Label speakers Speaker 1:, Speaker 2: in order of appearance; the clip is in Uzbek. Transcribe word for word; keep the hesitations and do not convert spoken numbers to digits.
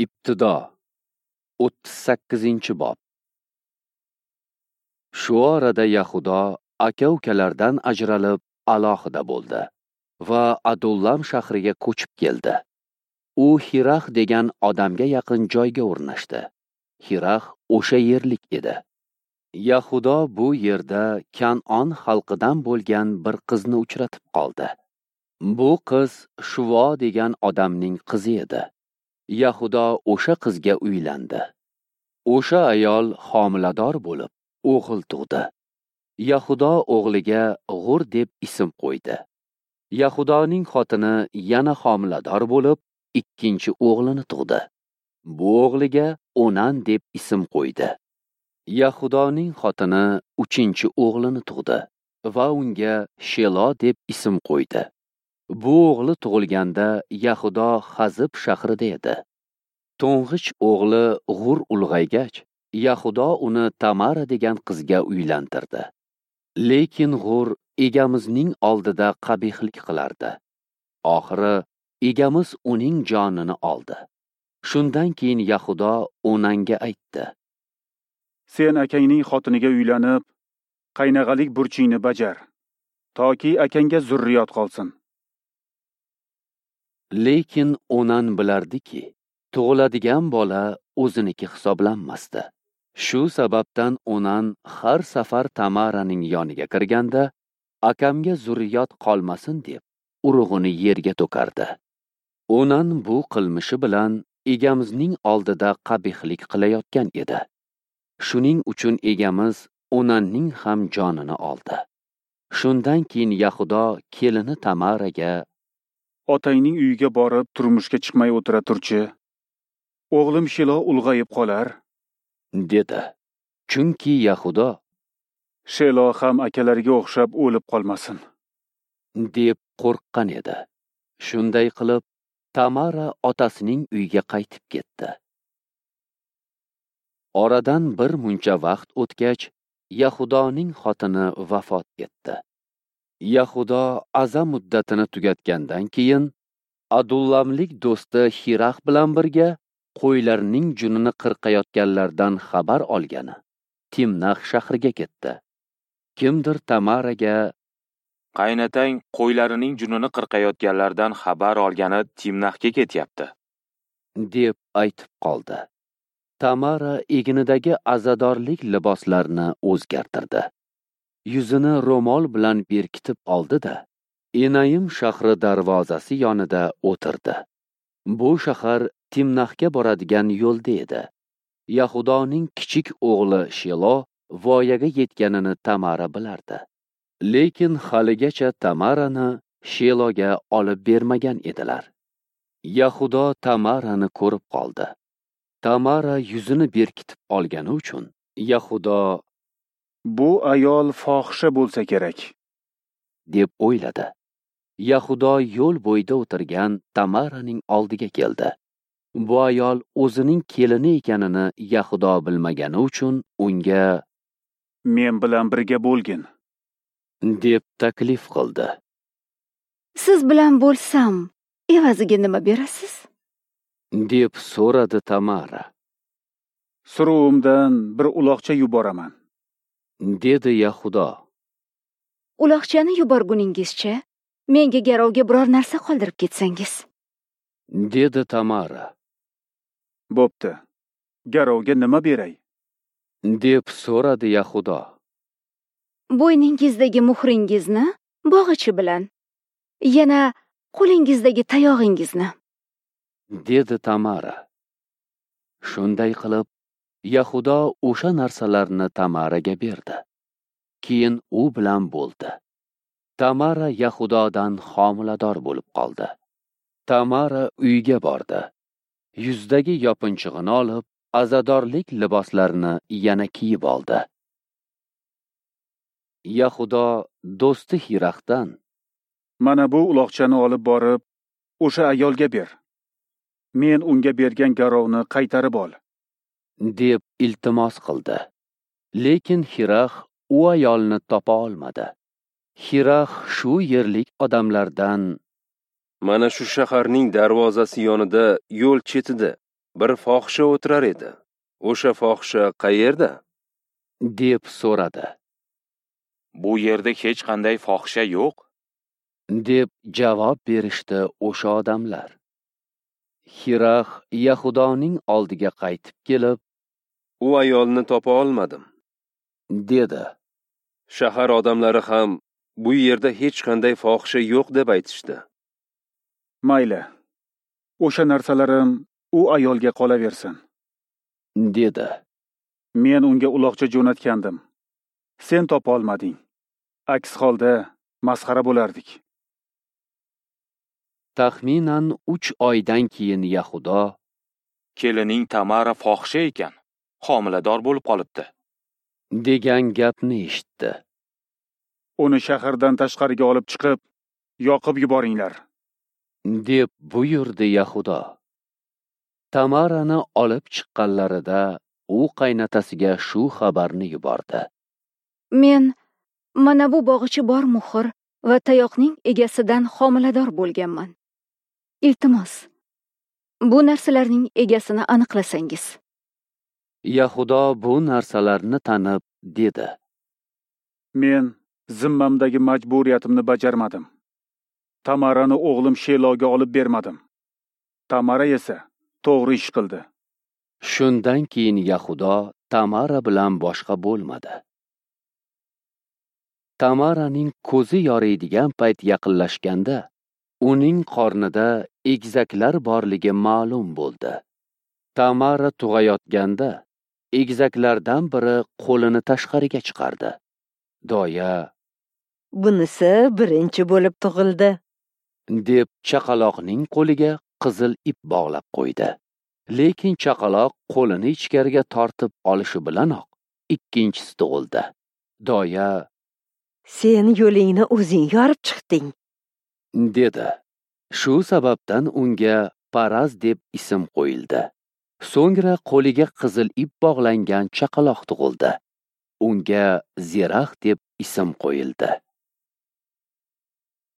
Speaker 1: Ibtido o'ttiz sakkizinchi bob. Shu orada Yahudo aka-ukalardan ajralib alohida bo'ldi va Adullam shahriga ko'chib keldi. U Xirax degan odamga yaqin joyga o'rnashdi. Xirax o'sha yerlik edi. Yahudo bu yerda Kan'on xalqidan bo'lgan bir qizni uchratib qoldi. Bu qiz Shuvo degan odamning qizi edi. Yahudo o'sha qizga uylandi. O'sha ayol homilador bo'lib, o'g'il tug'di. Yahudo o'g'liga G'ur deb ism qo'ydi. Yahudoning xotini yana homilador bo'lib, ikkinchi o'g'lini tug'di. Bu o'g'liga Onan deb ism qo'ydi. Yahudoning xotini uchinchi o'g'lini tug'di va unga Shelo deb ism qo'ydi. Bu o'g'li tug'ilganda Yahudo Xazib shahrida edi. To'ng'ich o'g'li G'ur ulg'aygach, Yahudo uni Tamara degan qizga uylantirdi. Lekin G'ur egamizning oldida qabihlik qilardi. Oxiri egamiz uning jonini oldi. Shundan keyin Yahudo Onanga aytdi:
Speaker 2: Sen akangning xotiniga uylanib, qaynag'alik burchingni bajar, toki akangga zurriyot qolsin.
Speaker 1: Lekin Onan bilardiki, tug'iladigan bola o'ziniki hisoblanmasdi. Shu sababdan Onan har safar Tamaraning yoniga kirganda, akamga zurriyot qolmasin deb urug'ini yerga to'kardi. Onan bu qilmishi bilan egamizning oldida qabihlik qilayotgan edi. Shuning uchun egamiz Onanning ham jonini oldi. Shundan keyin Yahudo kelini Tamaraga:
Speaker 2: Otangning uyiga borib turmushga chiqmay o'tira turchi. O'g'lim Shelo ulg'ayib qolar,
Speaker 1: dedi. Chunki Yahudo
Speaker 2: Shelo ham akalariga o'xshab o'lib qolmasin,
Speaker 1: deb qo'rqqan edi. Shunday qilib Tamara otasining uyiga qaytib ketdi. Oradan bir muncha vaqt o'tgach, Yahudoning xotini vafot etdi. Yahudo aza muddatini tugatgandan keyin Adullamlik do'sti Xirax bilan birga qo'ylarning junini qirqayotganlardan xabar olgani Timnax shahriga ketdi. Kimdir Tamaraga:
Speaker 3: Qaynatang qo'ylarining junini qirqayotganlardan xabar olgani Timnaxga ketyapti,
Speaker 1: deb aytib qoldi. Tamara egnidagi azadorlik liboslarini o'zgartirdi. Yuzini ro'mol bilan berkitib oldi-da, Enayim shahri darvozasi yonida o'tirdi. Bu shahar Timnaxga boradigan yo'lda edi. Yahudoning kichik o'g'li Shelo voyaga yetganini Tamara bilardi. Lekin haligacha Tamarani Sheloga olib bermagan edilar. Yahudo Tamarani ko'rib qoldi. Tamara yuzini berkitib olgani uchun Yahudo:
Speaker 2: Bu ayol fohisha bo'lsa kerak,
Speaker 1: deb o'yladi. Yahudo yo'l bo'yida o'tirgan Tamaraning oldiga keldi. Bu ayol o'zining kelini ekanini Yahudo bilmagani uchun unga:
Speaker 2: Men bilan birga bo'lgin,
Speaker 1: deb taklif qildi.
Speaker 4: Siz bilan bo'lsam, evaziga nima berasiz?
Speaker 1: deb so'radi Tamara.
Speaker 2: Suruvimdan bir uloqcha yuboraman,
Speaker 1: dedi Yahudo.
Speaker 4: Uloqchani yuborguningizcha menga garovga biror narsa qoldirib ketsangiz,
Speaker 1: dedi Tamara.
Speaker 2: Bo'pti. Garovga nima beray?
Speaker 1: deb so'radi Yahudo.
Speaker 4: Bo'yningizdagi muhringizni bog'ichi bilan, yana qo'lingizdagi tayog'ingizni,
Speaker 1: dedi Tamara. Shunday qilib Yahudo o'sha narsalarni Tamaraga berdi. Keyin u bilan bo'ldi. Tamara Yahudodan homilador bo'lib qoldi. Tamara uyga bordi. Yuzdagi yopinchig'ini olib, azadorlik liboslarini yana kiyib oldi. Yahudo do'sti Xiraxdan:
Speaker 2: Mana bu uloqchani olib borib, o'sha ayolga ber. Men unga bergan garovni qaytarib ol,
Speaker 1: deb iltimos qildi. Lekin Xirax u ayolni topa olmadi. Xirax shu yerlik odamlardan:
Speaker 5: Mana shu shaharning darvozasi yonida, yo'l chetida bir fohisha o'tirar edi. O'sha fohisha qayerda?
Speaker 1: Deb so'radi.
Speaker 3: Bu yerda hech qanday fohisha yo'q,
Speaker 1: deb javob berishdi o'sha odamlar. Xirax Yahudoning oldiga qaytib kelib,
Speaker 5: u ayolni topa olmadim,
Speaker 1: dedi.
Speaker 5: Shahar odamlari ham bu yerda hech qanday fohisha yo'q deb aytishdi.
Speaker 2: Mayli, o'sha narsalarim u ayolga qolaversin,
Speaker 1: dedi.
Speaker 2: Men unga uloqcha jo'natgandim. Sen topa olmading. Aks holda masxara bo'lardik.
Speaker 1: Taxminan uch oydan keyin Yahudo,
Speaker 3: kelining Tamara fohisha ekan, homilador bo'lib qolibdi,
Speaker 1: degan gapni eshitdi.
Speaker 2: Uni shahardan tashqariga olib chiqib, yoqib yuboringlar,
Speaker 1: deb buyurdi Yahudo. Tamarani olib chiqqanlarida u qaynotasiga shu xabarni yubordi.
Speaker 4: Men mana bu bog'ichi bor muhr va tayoqning egasidan homilador bo'lganman. Iltimos, bu narsalarning egasini aniqlasangiz.
Speaker 1: Yahudo bu narsalarni tanib dedi:
Speaker 2: Men zimmamdagi majburiyatimni bajarmadim. Tamarani o'g'lim Sheloga olib bermadim. Tamara esa to'g'ri ish qildi.
Speaker 1: Shundan keyin Yahudo Tamara bilan boshqa bo'lmadi. Tamaraning ko'zi yoriydigan payt yaqinlashganda, uning qornida egizaklar borligi ma'lum bo'ldi. Tamara tug'ayotganda, egizaklardan biri qo'lini tashqariga chiqardi. Doya,
Speaker 6: bunisi birinchi bo'lib tug'ildi,
Speaker 1: deb chaqaloqning qo'liga qizil ip bog'lab qo'ydi. Lekin chaqaloq qo'lini ichkariga tortib olishi bilanoq ikkinchisi tug'ildi. Doya,
Speaker 6: sen yo'lingni o'zing yorib chiqding,
Speaker 1: dedi. Shu sababdan unga Paraz deb ism qo'yildi. So'ngra qo'liga qizil ip bog'langan chaqaloq tug'ildi. Unga Zerax deb ism qo'yildi.